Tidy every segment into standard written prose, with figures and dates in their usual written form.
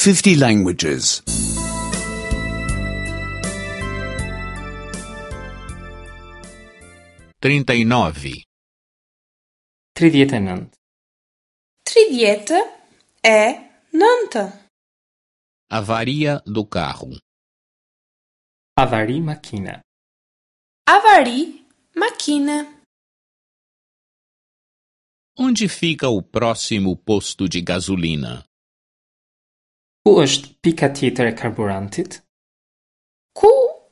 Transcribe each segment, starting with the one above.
50 languages. 39. 39. 39. Avaria do carro. Avari makine. Avari makine. Onde fica o próximo posto de gasolina? Ku është pika tjetër e karburantit? Ku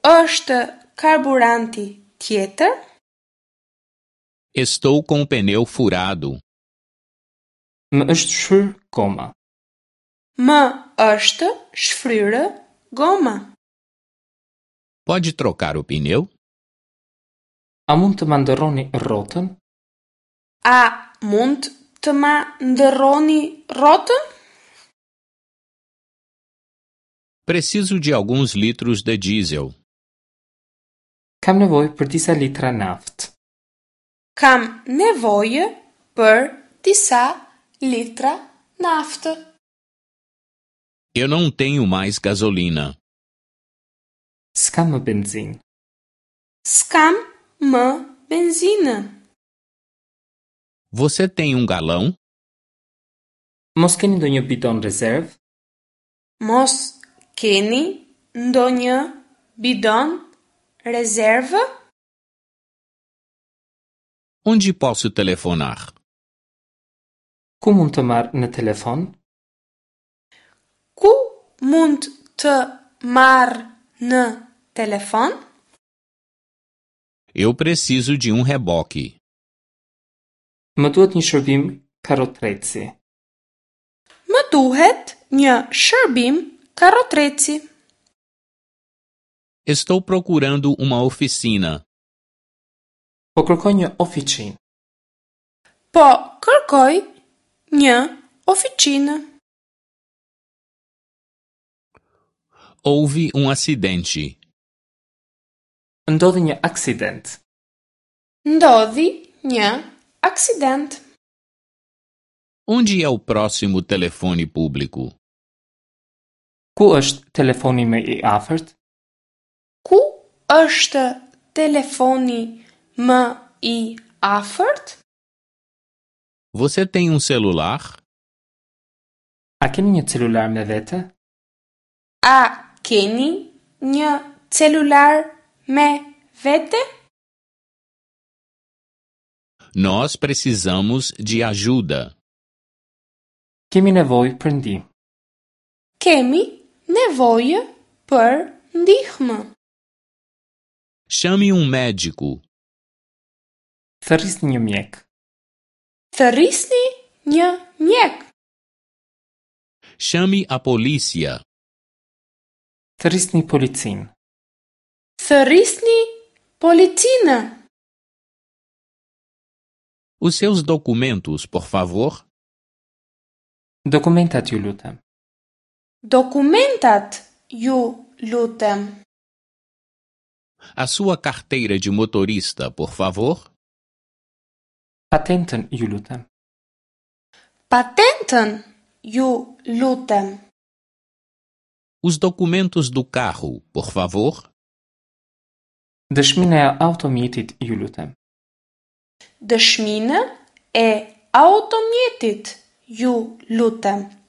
është karburanti tjetër? Estou com o pneu furado. Më është shfryr goma. Më është shfryrë goma. Pode trocar o pneu? A mund të ma ndërroni rrotën? A mund të ma ndërroni rrotën? Preciso de alguns litros de diesel. Kam nevojë për disa litra naftë. Kam nevojë për disa litra naftë. Eu não tenho mais gasolina. S'kam më benzinë. S'kam më benzinë. Você tem um galão? Mos keni ndonjë bidon rezervë? Mos keni ndonjë bidon rezervë? Onde posso telefonar? Ku mund të marr në telefon? Ku mund të marr në telefon? Eu preciso de um reboque. Më duhet një shërbim karrotreci. Më duhet një shërbim karrotreci. Estou procurando uma oficina. Po kërkoj një ofiçinë. Po kërkoj një ofiçinë. Houve um acidente. Ndodhi një aksident. Ndodhi një aksident. Onde é o próximo telefone público? Ku është telefoni më i afërt? Ku është telefoni më i afërt? Você tem um celular? A keni një celular me vete? A keni një celular me vete? Nós precisamos de ajuda. Kemi nevojë për ndihmë. Kemi nevojë për ndihmë. Chame um médico. Thërrisni një mjek. Thërrisni një mjek. Chame a polícia. Thërrisni policinë. Thërrisni policinë. Os seus documentos, por favor. Dokumentat ju lutem. Dokumentat ju lutem. A sua carteira de motorista, por favor. Patentën ju lutem. Patentën ju lutem. Os documentos do carro, por favor. Dëshminë e automjetit ju lutem. Dëshminë e automjetit ju lutem.